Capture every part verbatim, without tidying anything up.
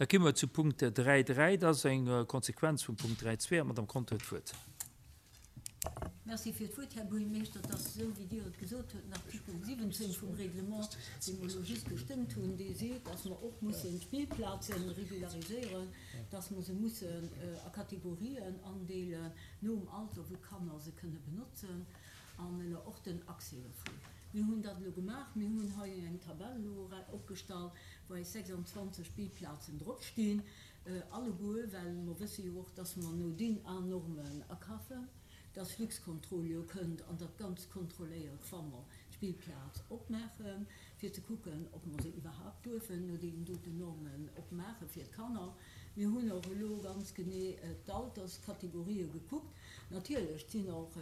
Da komme mer zu Punkt dräi dräi, dat ass eng Konsequenz vum Punkt dräi zwee. An d'Madame Conter huet d'Wuert. Merci fir d'Wuert, Här Buergermeeschter. Et ass esou, wéi Dir et gesot hutt, den Artikel siwwenzéng vum Reglement, dee mer elo just gestëmmt hunn, dee seet, dass mer och mussen d'Spillplaze regulariséieren, dass mer se mussen a Kategorien andeelen nom Alter, wou d'Kanner se kënne benotzen an elo och den Accès dovun. Mir hunn dat elo gemaach. Mir hunn hei eng Tabell elo opgestallt, wou eis sechsandzwanzeg Spillplazen dropstinn, alleguer, well mer wësse jo och, dass mer no D I N A-Normen akafen, dass Luxcontrol jo kënnt an dat Ganzt kontrolléiert, wa mer d'Spillplaz opmaachen, fir ze kucken, ob mer se iwwerhaupt duerfen no deenen doten Normen opmaache fir d'Kanner. Mir hunn och elo ganz genee d'Alterskategorië gekuckt. Natierlech sinn och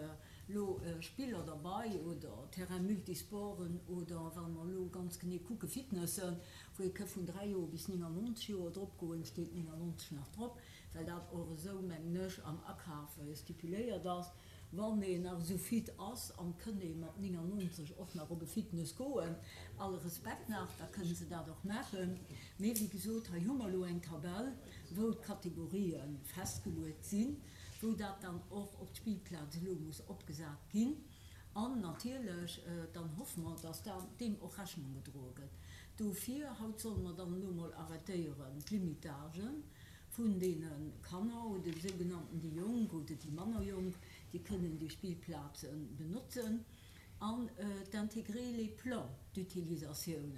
elo Spiller derbäi oder Terrain multisporten oder, wa mer elo ganz genee kucke, Fitnessen, wou ee ka vun dräi Joer bis néngannonzeg Joer drop goen, steet néngannonzeg nach drop, well dat och esou, mengen ech, am Akaf stipuléiert ass. Wann een nach esou fit ass an kënnt ee mat néngannonzeg och nach op e Fitness goen, alle Respekt nach, da kënnen se dat och maachen. Mee wéi gesot, hei hu mer elo eng Tabell, wou d'Kategorië festgeluecht sinn, wou dat dann och op d'Spillplaz elo muss opgesat ginn. An natierlech, dann hoffe mer, dass da deem och Rechnung gedroe gëtt. Dofir, haut solle mer dann elo mol arrêtéieren d'Limitagen vun deene Kanner oder déi sougenannten déi Jonk oder déi manner Jonk, déi kënnen déi Spillplaze benotzen, an d'intégrer les plans d'utilisatioun.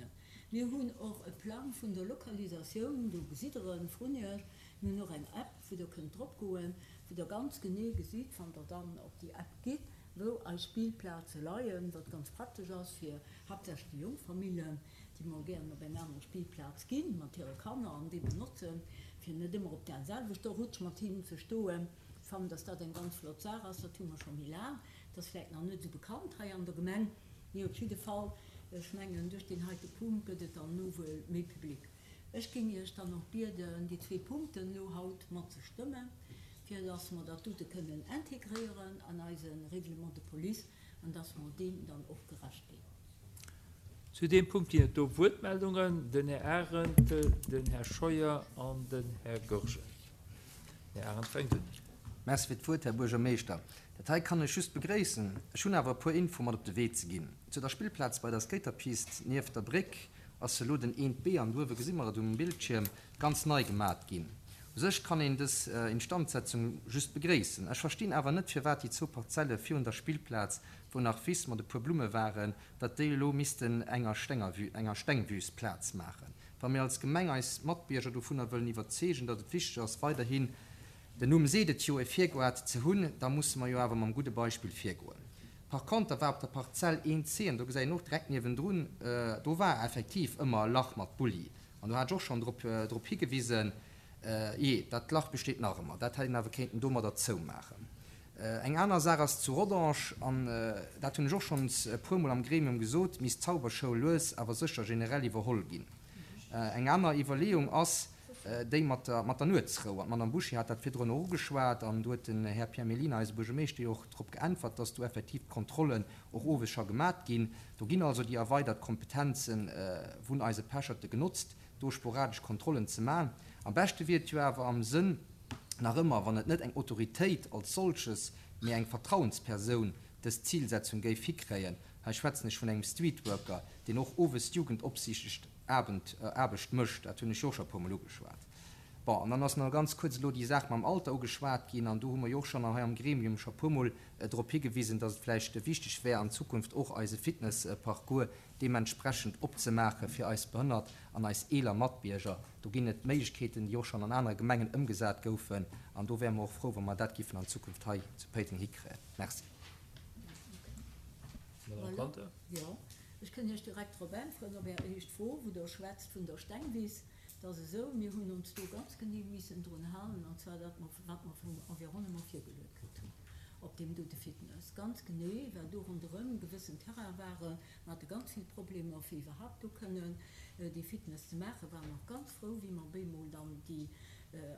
Mir hunn och e Plang vun der Lokalisatioun, do gesitt Der en vrun Iech. Mir hunn och eng App, wou Der kënnt drop goen, wou Der ganz genee gesitt, wann Der dann op déi App gitt, wou eis Spillplaze leien, wat ganz praktesch ass fir haaptsächlech déi jonk Famillen, déi mol gären op eng aner Spillplaz ginn mat hire Kanner an déi benotzen, fir net ëmmer op där selwechter Rutsch mat hinnen ze stoen. Ech fannen, dass dat eng ganz flott Saach ass. Dat hu mer scho méi laang. Dat ass vläicht nach net esou bekannt hei an der Gemeng, mee op jidde Fall, ech mengen, duerch deen heite Punkt gëtt et dann elo wuel méi public. Ech géing Iech dann och bieden, déi zwee Punkten elo haut mat ze stëmmen, fir dass mer dat dote kënnen integréieren an eise Règlement de police an dass mer deem dann och gerecht ginn. Zu deem Punkt ginn et do Wuertmeldungen. Den Här Arendt, den Här Scheuer an den Här Goergen. Den Här Arendt fänkt un. Merci fir d'Wuert, Här Buergermeeschter. Dat hei kann ech just begréissen. Ech hunn awer e puer Info mat op de Wee ze ginn. Zu der Spillplaz bei der Skaterpist nieft der Bréck ass elo den eent B, an do uewe gesi mer et um Bildschierm, ganz nei gemat ginn. U sech kann een dës Instandsetzung just begréissen. Ech verstinn awer net, firwat déi zwou Parzelle virun der Spillplaz, wou nach Wiss mat e puer Blumme waren, datt déi elo missten enger enger Stengwüst Plaz maachen. Wa mir als Gemeng eis Matbierger dovunner wëllen iwwerzeegen, datt et wichteg ass, weiderhin, den Numm seet et jo, e Virgoart ze hunn, da musse mer jo awer mam gudde Beispill virgoen. Par contre war op der Parzell eent C, an do gesäit een och direkt niewendrun, do war effektiv ëmmer e Lach mat Bulli. An do hat ech och schonn drop, drop higewisen, jee, dat Lach besteet nach ëmmer. Dat hätt een awer kéinten domadder zoumaachen. Eng aner Saach ass zu Rodange, an dat hunn ech och schonns e puermol am Gremium gesot, misst d'Zauberschoul lues awer sécher generell iwwerholl ginn. Eng aner Iwwerleeung ass déi mat der, mat der Nuetsrou. An d'Madame Bouché hat dat virdrun och ugeschwat, an do huet den Här Pierre Mellina, eise Buergermeeschter, jo och drop geäntwert, dass do effektiv d'Kontrollen och owes scho gemat ginn. Do ginn also déi erweidert Kompetenze vun eise Pecherte genotzt, do sporadesch Kontrollen ze maachen. Am beschte wier et jo awer am Sënn nach ëmmer, wann et net eng Autoritéit als solches, mee eng Vertrauenspersoun dës Zilsetzung géif hikréien. Hei schwätzen ech vun engem Streetworker, deen och owes d'Jugendopsiicht Abend, Aarbecht mécht. Dat hunn ech jo och scho e puermol ugeschwat. Bon, an dann ass nach ganz kuerz elo déi Saach mam Alter ugeschwat ginn, an do hu mer jo och schonn hei am Gremium scho puermol drop higewisen, dass et vläicht wichteg wär, an Zukunft och eise Fitnessparcours deementsprechend opzemaache fir eis behënnert an eis eeler Matbierger. Do ginn et Méiglechkeeten, déi och schonn an anere Gemengen ëmgesat goufen, an do wäre mer och frou, wa mer dat giffen an Zukunft hei zu Péiteng hikréien. Merci. Madame Conter. Jo, ech kënn Iech direkt drop äntweren, op Är éischt Fro, wou Der schwätzt vun der Stengwiss. Dat ass esou, mir hunn ons do ganz genee missen drun halen, an zwar dat, wat mer vum Environnement virgeluecht kritt hunn op deem dote Fitness. Ganz genee, well do ronderëm gewëssen Terrain waren. Mer hate ganz vill Problemer, fir iwwerhaupt do kënnen dee Fitness ze maachen. Waren och ganz frou, wéi mer bemol dann déi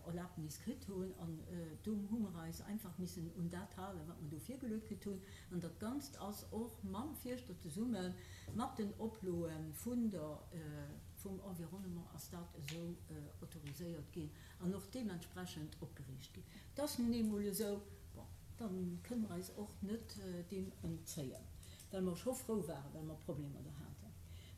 Erlaabnis kritt hunn. An do hu mer eis einfach missen un dat halen, wat mer do virgeluecht kritt hunn. An dat Ganzt ass och mam Fierschter zesumme mat den Oploe vun der, vum Environnement ass dat esou autoriséiert ginn an och deementsprechend opgeriicht ginn. Dat ass nun eemol esou. Bon, da kënne mer eis och net deem entzéien, well mer scho frou waren, well mer Problemer do haten.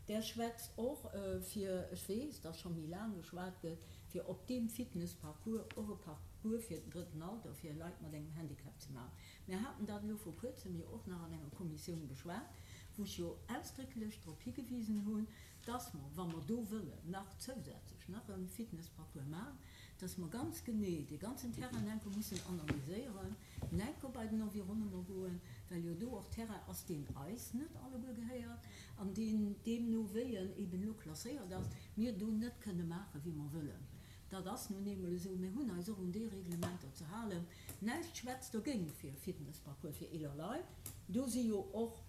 Där schwätzt och fir, ech weess, dass scho méi laang geschwat gëtt, fir op deem Fitnessparcours och e Parcours fir den drëtten Alter, fir Leit mat engem Handicap ze maachen. Mir haten dat elo vor kuerzem jo och nach an enger Kommissioun beschwat, wou ech jo ausdrécklech drop higewisen hunn, dass mer, wa mer do wëllen nach zousätzlech nach e Fitnessparcours maachen, dass mer ganz genee dee ganzen Terrain enke mussen analyséieren, enke bei den Environnement goen, well jo do och Terrain ass, deen eis net alleguer gehéiert an deen deemno wéi en eben elo klasséiert ass, mir do net kënne maachen, wéi mer wëllen. Dat ass nun eemol esou. Mir hunn eis och un déi Reglementer ze halen. Näischt schwätzt dogéint fir e Fitnessparcours fir eeler Leit. Do si jo och,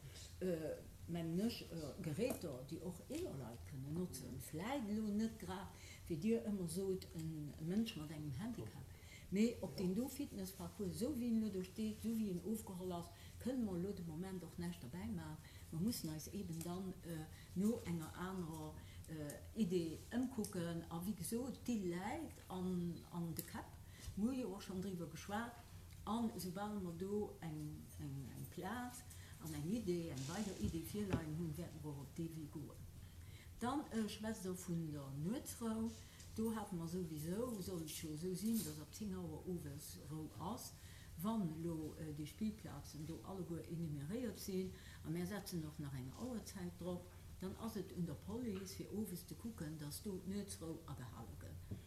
mengen ech, Geräter, déi och eeler Leit kënnen notzen. Vläit elo net grad, wéi Dir ëmmer sot, e Mënsch mat engem Handicap. Mee op deen do Fitnessparcours, esou wéi en elo do steet, esou wéi en ofgeholl ass, kënne mer elo de Moment och näischt derbäi maachen. Mer mussen eis eeben dann no enger anerer Idee ëmkucken. A wéi gesot, déi läit an de Käpp. Mir hu jo och schonn driwwer geschwat. An esoubal mer do eng Plaz an eng Idee, eng weider Idee virleien hunn, wäerte mer och op dee Wee goen. Dann schwätzt Der vun der Nuetsrou. Do hate mer souwisou, soll et jo esou sinn, dass ab zéng Auer owes Rou ass, wann elo déi Spillplazen do alleguer enumeréiert sinn, a mär setzen och nach eng Auerzäit drop, dann ass et un der Police, fir owes ze kucken, dass do d'Nuetsrou agehale gëtt.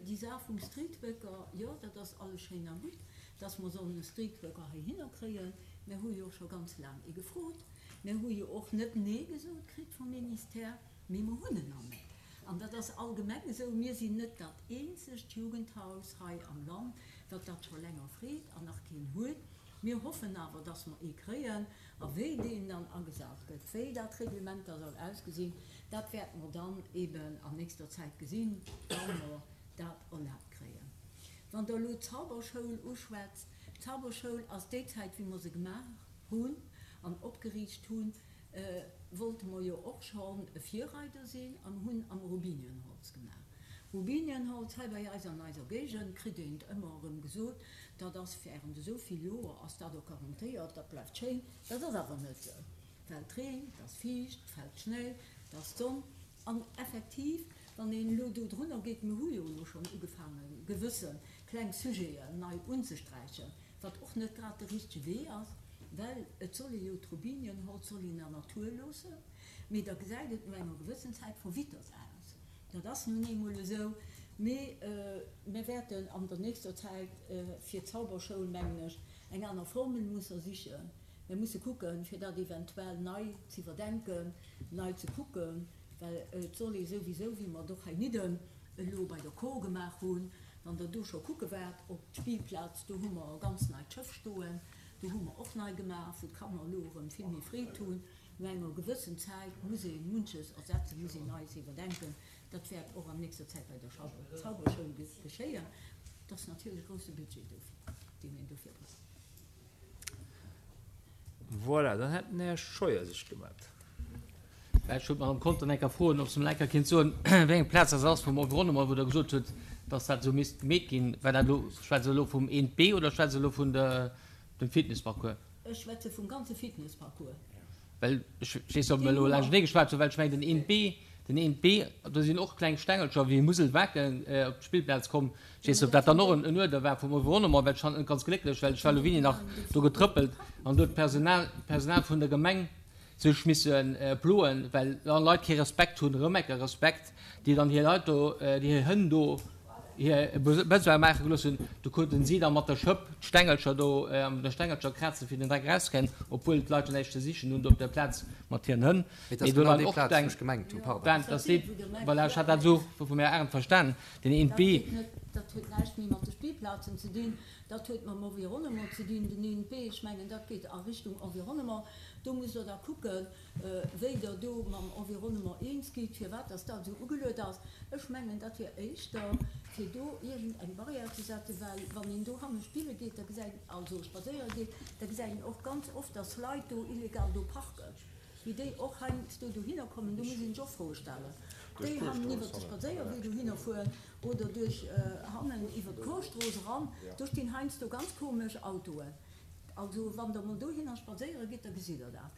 Déi Saach vum Streetworker, jo, dat ass alles schéin a gutt, dass mer sollen e Streetworker heihinner kréien. Mär hu jo och scho ganz laang ee gefrot. Mär hu jo och net Nee gesot kritt vum Ministère, mee mer hunn en nach net. An dat ass allgemeng esou, mir sinn net dat eenzegt Jugendhaus hei am Land, wat dat scho länger freet an nach keen huet. Mir hoffen awer, dass mer ee kréien. A wéi deen dann agesat gëtt, wéi dat Reglement da soll ausgesinn, dat wäerte mer dann eben an nächster Zäit gesinn, wa mer dat erlaabt kréien. Wann Der elo d'Zauberschoul uschwätzt, d'Zauberschoul ass déi Zäit, wéi mer se gemaach hunn an opgeriicht hunn, wollte mer jo och schonn e Virreider sinn an hunn am Robinienholz gemaach. Robinienholz, hei bei eis an eiser Géigend kritt een et ëmmer erëm gesot, dat ass während esou vill Joer ass dat och garantéiert, dat bleift schéin. Dat ass awer net esou, well et reent, et ass fiicht, et fält Schnéi, et ass d'Sonn. An effektiv, wann een elo do drunner geet, mir hu jo elo schonn ugefaangen, gewësse kleng Sujeten nei unzesträichen, wat och net grad de richtege Wee ass, well et soll ee jo d'Robinienholz soll een der Natur loossen, mee da gesäit et no enger gewëssen Zäit verwittert aus. Dat ass nun eemol esou. Mee mir wäerten an der nächster Zäit fir d'Zauberschoul, mengen ech, eng aner Formel musse sichen. Mir musse kucken, fir dat eventuell nei z'iwwerdenken, nei ze kucken, well et soll ee souwisou, wéi mer et och heinidden elo bei der Kor gemaach hunn, wann Der do scho kucke waart op d'Spillplaz, do hu mer e ganz neit Schëff stoen, do hu mer och nei gemaach, wou d'Kanner elo erëm vill méi Freed hunn. No enger gewëssen Zäit muss ee munches ersetzen, muss een Neies iwwerdenken. Dat wäert och an nächster Zäit bei der Zauberschoul geschéien. Et ass natierlech e grousse Budget dofir, deen een dofir brauch. Voilà, dann hätt den Här Scheuer sech gemellt. Mä ech wollt d'Madame Conter eng Kéier froen, ob se mol eng Kéier kéint soen, wéi eng Plaz dat ass vum Environnement, wou Der gesot hutt, dass dat esou misst gemeet ginn. War dat elo, schwätzt Der elo vum eent B oder schwätzt Der elo vun der, dem Fitnessparcours? Ech schwätze vum ganze Fitnessparcours. Well ech weess net, ob mer elo laanschtenee geschwat hunn, well ech mengen, den eent B, den eent B, do sinn och kleng Stengelcher wéi Muselwaken op d'Spillplaz komm. Ech weess net, ob dat dann och en Uerder war vum Environnement, well ech fand et net ganz glécklech, well ech war elo wéini nach do getrëppelt an do huet d'Personal, d'Personal vun der Gemeng sech misse ploen, well dann Leit kee Respekt hunn, erëm eng Kéier Respekt, déi dann hir Leit do, déi hir Hënn do hir Besoin maache gelooss hunn, do kruten si da mat der Schëpp d'Stengelcher do, an der Stengelcher krazen, fir den Dreck erauszekréien, obwuel d'Leit jo näischt ze sichen hunn do op der Plaz mat hiren Hënn. Mee et ass Mee do genau waren déi och Plaz, wou eng, ech gemengt hunn, pardon. dat ass déi, voilà, ech hat dat esou vum Här Arendt verstanen, den Dat eent B. huet net, dat huet näischt méi mat de Spillplazen ze dinn, dat huet mam Environnement ze dinn, den eent B. Ech mengen, dat geet a Richtung Environnement. Do musst Der da kucken, wéi Der do mam Environnement eens gitt, firwat dass dat esou ugeluet ass. Ech mengen, dat wier éischter, fir do iergend eng Barrière ze setzen, well wann een do hanne spille geet, da gesäit, also spadséiere geet, da gesäit een och ganz oft, dass Leit do illegal do parken, wéi déi och heiansdo dohinner kommen. Do muss een sech och Froe stellen. Déi hannen iwwert de Spadséierwee dohinner fueren oder duerch hannen iwwert d'Chorstrooss eran. Do stinn heiansdo ganz komesch Autoen. Also wann Der mol dohinner spadséiere gitt, da gesitt Der dat.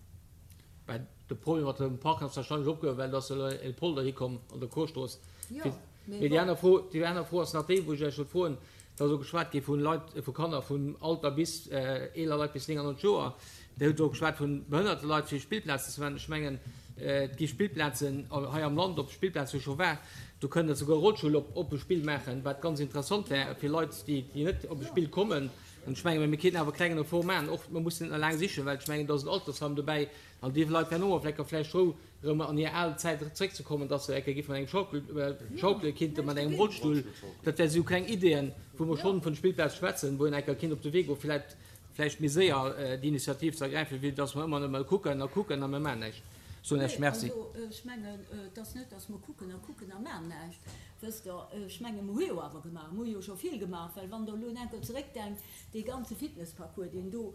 Mä de Problem mat dem Parken ass warscheinlech opgehuewen, well do ass elo e Polder hikomm an der Chorstrooss. Jo, Mee mee déi bon. aner Fro, déi aner Fro ass nach déi, wou ech Iech wollt froen, Et ass och geschwat gi vu Leit, vu Kanner vun Alter bis eeler Leit bis néngannonzeg Joer. Dir hutt och geschwat vu behënnerte Leit fir Spillplazen ze maachen. Ech mengen, et gi Spillplazen hei am Land, op Spillplaze wou ech scho war, do kënnt Der souguer e Rollstull op op e Spill maachen, wat ganz interessant wär fir Leit, déi déi net op e Spill kommen. An ech mengen, mir kéinten awer e klengen Effort maachen, och mer mussen net nach laang sichen, well ech mengen, do ass en Altersheim dobäi an déi Leit wären och op Lecker vläicht frou, erëm an hir al Zäit zréckzekommen, dass se ecke gi vun engem Schaukel, schaukele kinnte mat engem Rollstull. Dat wäre sou kleng Ideeën, wou mer schonn vun Spillplaz schwätzen, wou een enker kinnt op de Wee goen, vläicht, vläicht méi séier déi Initiativ ze ergräifen, wéi dass mer ëmmer nëmme kucken a kucken a mer maachen näischt. Soen Iech Nee, Merci. also ech mengen, et ass net, dass mer kucken a kucken a maachen näischt. Wësst Der, ech menge mer hu jo awer gemaach, mer hu jo scho vill gemaach, well wann Der elo enker zeréckdenkt, dee ganze Fitnessparcours, deen do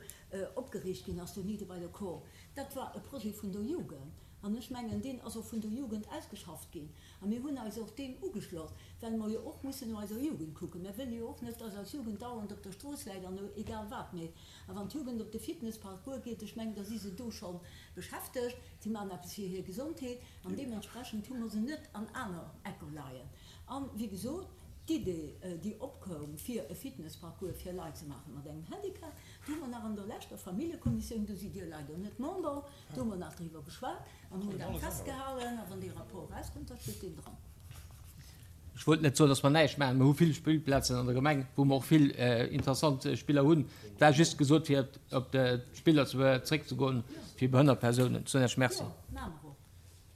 opgeriicht ginn ass, do nidde bei der Kor, dat war e Projet vun der Jugend. An ech mengen, deen ass och vun der Jugend ausgeschafft ginn. A mir hunn eis och deem ugeschloss, well mer jo och mussen no eiser Jugend kucken. Mir wëlle jo och net, dass eis Jugend dauernd op der Strooss läit an egal wat mécht. A wann d'Jugend op de Fitnessparcours geet, ech mengen, da si se do scho beschäftegt, si maachen eppes fir hir Gesondheet an deementsprechend hu mer se net an aner Ecker leien. An, wéi gesot, d'Idee, déi opkoum, fir e Fitnessparcours fir Leit ze maache mat engem Handicap, do hu mer nach an der leschter Familljekommissioun, do sidd Dir leider net Member, do hu mer nach driwwer geschwat an hunn dat festgehalen. A wann dee Rapport erauskënnt, da steet deen dran. Ech wollt net soen, dass mer näischt maachen. Mer hu vill Spillplazen an der Gemeng, wou mer och vill interessant Spiller hunn. Et war just gesot, fir op d'Spiller zréckzegoen fir behënnert Persounen. Soen Iech Merci. Jo, maache mer och.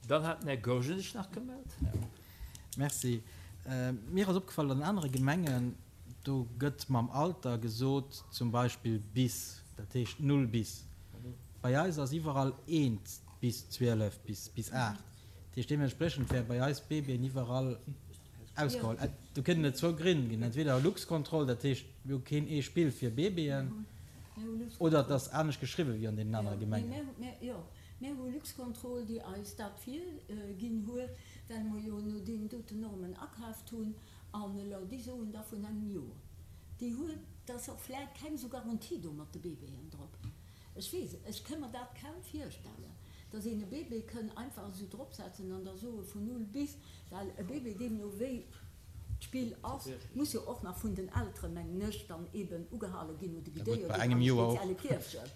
Dann hat den Här Goergen sech nach gemellt. Merci. Mir ass opgefall, an anere Gemengen, do gëtt mam Alter gesot, zum Beispill bis, dat heescht null bis. Bei eis ass iwwerall eent bis zwielef, bis bis aacht. Dat heescht, deementspriechend wäre bei eis Babyen iwwerall ausgeholl. Do kënnen et zwou Grënn ginn, entweder Luxcontrol, dat heescht, mir hu keen ee Spill fir Babyen, oder et ass anescht geschriwwen wéi an deenen anere Gemengen. Mir hu Luxcontrol, déi eis dat virginn huet, well mer jo no deenen doten Normen akaaft hunn. An elo, déi soen da vun engem Joer, déi huet, da ass och vläicht keng esou Garantie do mat de Bébéen drop. Ech weess et, ech kënn mer dat kaum virstellen, dass een e Bébé kënn einfach esou dropsetzen an da soe vun null bis, well e Bébé, deemno wéi d'Spill ass, muss jo och nach vun den Elteren, mengen ech, dann eeben ugehale ginn oder Ja gutt, guidéiert bei oder engem an e Joer och. spezielle Kierfchen.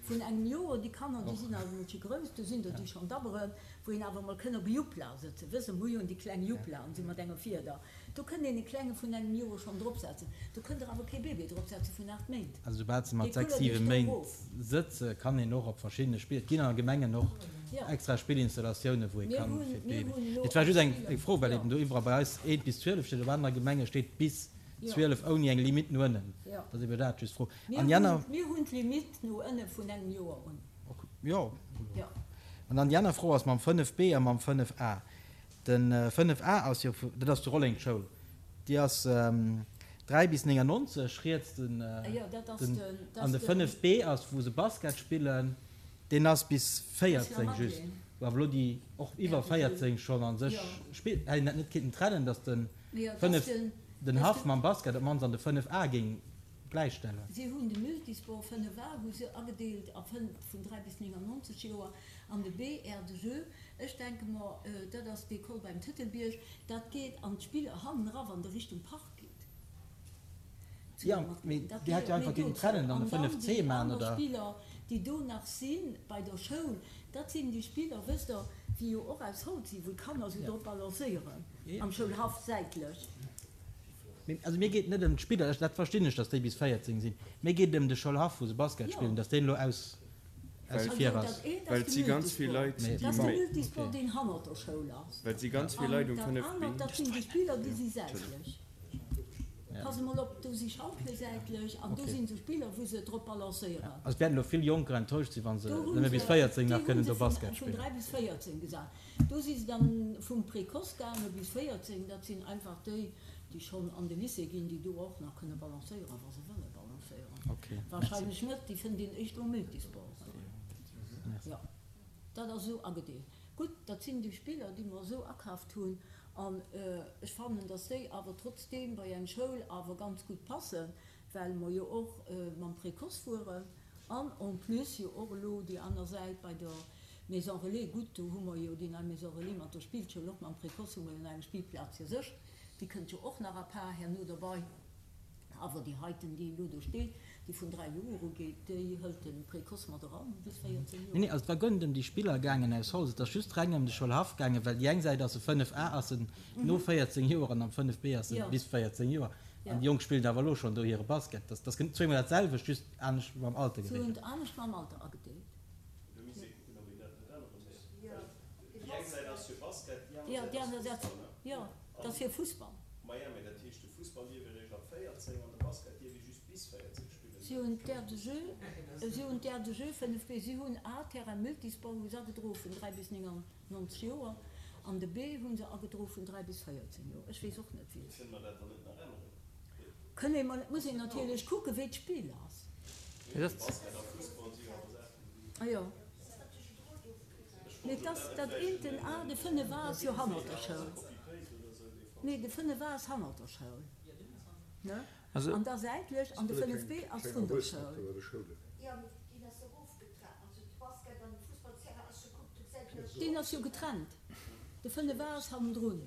Vun engem Joer, déi Kanner, déi sinn awer emol schi grouss, do sinn der, déi schonn dabberen, wou een awer emol kënn op e Jupla sëtzen. Wësst Der, mir hu jo déi kleng Juplaen, si mat enger Fieder. Do kënnt een e Klenge vun engem Joer schonn dropsetzen. Do kënnt Der awer kee Bébé dropsetze vun aacht Méint. Also soubal se mat Dee sechs, kullert siwe Iech do Méint erof. sëtze, kann een och op verschiddene Spill, et ginn an Gemengen och Jo. extra Spillinstallatioune wou ee Mir kann hunn, fir mir d'Bébé. hunn elo Et war just eng eng Spiller, Fro, well jo. eben do iwwerall bei eis eent bis zwielef steet, op anere Gemenge steet bis Jo. zwielef ouni eng Limite no ënnen. Jo. Dat ass eben dat just d'Fro. Mir An déi hunn, aner. mir hunn d'Limite no ënne vun engem Joer un. Ok, jo. Jo. An dann déi aner Fro ass mam fënnef B a mam fënnef A. De fënnef A ass jo, dat ass d'Rolleng Schoul, déi ass dräi bis néngannonzeg riets den, Jo, dat ass den, den, dat an ass de den. fënnef B ass wou se Basket spillen, deen ass bis Bis la véierzéng just, Madeleine. wou awer elo déi och iwwer R T L. véierzéng schonn a sech Jo. spillen. Hätt een dat net kinnten trennen, datt de Mee jo, dat ass fënnef, den, den dat ass Haff den. mam Basket op d'mannst an de fënnef A géing gläichstellen? Si hunn de Multisport fënnef A hu se agedeelt a fënnf vun dräi bis néngannonzeg Joer an de B Aire de jeu. Ech denke mer, dat ass d'École beim Tëtelbierg, dat geet an d'Spiller hannen era wann Der Richtung Park gitt, zu Jo, der mee Madeleine. Dat Dir hätt jo gehéiert einfach méi kinnten dozou. trennen an e An dann fënnef C déi maachen, aner oder? Spiller, déi do nach si bei der Schoul, dat sinn déi Spiller, wësst Der, déi jo och aus Holz sinn, wou d'Kanner sou drop balancéieren am Schoulhaff säitlech. Mee, also mir geet et net ëm d'Spiller, dat verstinn ech, datt déi bis véierzéng sinn. Mir geet et ëm de Schoulhaff, wou se Basket Jo. spillen, datt deen elo aus, aus Well, vir Also ass. dat eent ass well de et si ganz vill Multisport. Leit, Mee déi Dat ass de bon, méi. Multisport, okay. deen hannert der Schoul ass. Well et si ganz vill An Leit um dat fënnef B. anert, dat sinn déi Spiller, déi si säitlech. Ja. Pass emol op, do si Schaukele säitlech an do Okay. sinn esou Spiller, wou se drop Ja. balancéieren. Also et wäerten elo vill Jonker enttäuscht sinn, wa se Do hu nëmme bis se, véierzéng déi nach hu kënnen se do vun, Basket vun spillen. dräi bis véierzéng gesat. Do si se dann vum Précoce gaange bis véierzéng. Dat sinn einfach déi, déi schonn an de Lycée ginn, déi do och nach kënne balancéieren, wa se wëlle balancéieren. Okay, merci. Wahrscheinlech net, déi fënnt een éischter um Multisport. Merci. Jo, dat ass esou agedeelt. Gutt, dat sinn déi Spiller, déi mer esou akaaft hunn, an ech fannen, dass déi awer trotzdeem bei eng Schoul awer ganz gutt passen, well mer jo och mam Précoce fueren an en plus jo och elo déi aner Säit bei der Maison relais. Gutt, do hu mer jo déi nei Maison relais mat der Spillschoul, och mam Précoce hu mer jo nach eng Spillplaz fir sech, déi kënnt jo och nach à part herno derbei. Awer déi heiten, déi elo do steet, déi vun dräi Joer ugeet, déi hëlt de Précoce mat eran bis véierzéng Nee, nee, Joer. also et war guer net ëm déi Spiller gaangen aus Holz, et ass just reng ëm de Schoulhaff gaangen, well déi eng Säit ass e fënnef A ass en no véierzéng Joer an am fënnef B ass e bis véierzéng Joer. An déi Jonk spillen awer elo schonn do hire Basket. Dat ass zweemol dat selwecht, just anescht mam Alter Se hunn gereegelt. et anescht mam Alter agedeelt. Jo, déi aner Säit, jo, dat ass fir Fussball. Si hunn d'Aire de jeu, si hunn d'Aire de jeu fënnef B, si hunn A, Terrain multisport hu se agedroe vun dräi bis néngannonzeg Joer an de B hu se agedroe vun dräi bis véierzéng Joer. Ech weess och net wéi. Kënne mer, et muss een natierlech kucken, wéi d'Spill ass. Ah jo. Mee et ass dat eent, den A, de fënnef A ass jo hannert der Schoul. Nee, de fënnef A ass hannert der Schoul, ne? An da säitlech, an de fënnef B ass vrun der Schoul. Deen ass jo getrennt. De fënnef A ass hannendrun.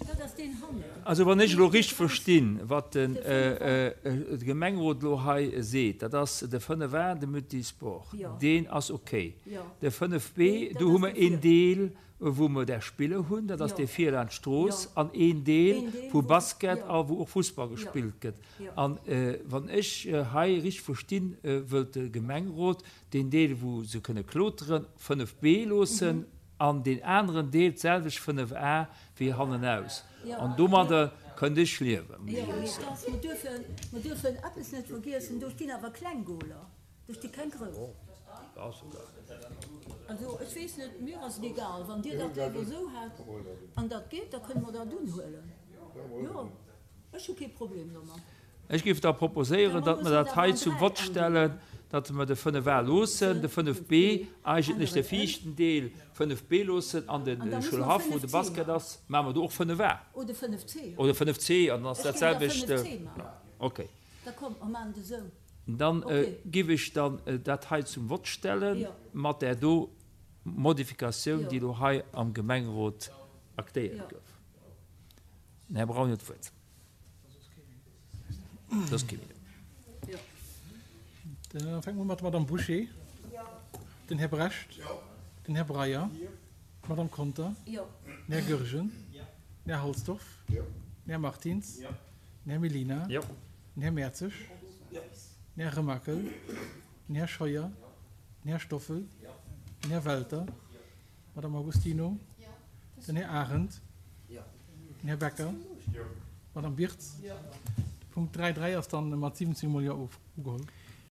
Dat ass deen hannen. Also wann ech elo richteg verstinn, wat de Gemengerot elo hei seet, dat ass de fënnef A, de Multisport, deen ass okay. De fënnef B, do hu mer een Deel, wou mer där Spiller hunn, dat ass dee vir laanscht d'Strooss, an een Deel, wou Basket a wou och Fussball gespillt gëtt. An wann ech hei richteg verstinn, wëllt de Gemengerot deen Deel, wou se kënne kloteren, fënnef B loossen an deen aneren Deel d'selwecht fënnef A wéi hannenaus. An domadder kënnt ech liewen, muss Jo, ech mee Iech soen. dass, mer duerfen, mer dürfen eppes net vergiessen, do stinn awer kleng Goler, do sti keng grouss. Also ech weess net, mir ass et egal, wann Dir dat léiwer esou hätt an dat geet, da kënne mer dat unhuelen. Jo, ech hu kee Problem domat. Ech géif da proposéieren, datt mer dat hei zum Vott stellen, datt mer de fënnef A loossen, de fënnef B, eigentlech de viischten Deel fënnef B loossen an de Schoulhaff, wou de Basket ass, maache mer do och fënnef A. Oder fënnef C. Oder fënnef C, an dann ass dat selwecht. Okay. Da komm, mer maachen et esou. Dann géif ech dann dat hei zum Vott stellen, mat där do Modifikatioun, déi elo hei am Gemengerot aktéiert gouf. Den Här Braun huet d'Wuert. Soss kee méi do. Da fänke mer mat der Madame Bouché. Den Här Brecht. Den Här Breyer. D'Madame Conter. Den Här Goergen. Den Här Halsdorf. Den Här Martins. Den Här Mellina. Den Här Mertzig. Den Här Remakel. Den Här Scheuer. Den Här Stoffel. Den Här Welter. D'Madame Agostino. Den Här Arendt. Den Här Becker. D'Madame Birtz. De Punkt dräi dräi ass dann mat siwwenzéng mol Jo ugeholl.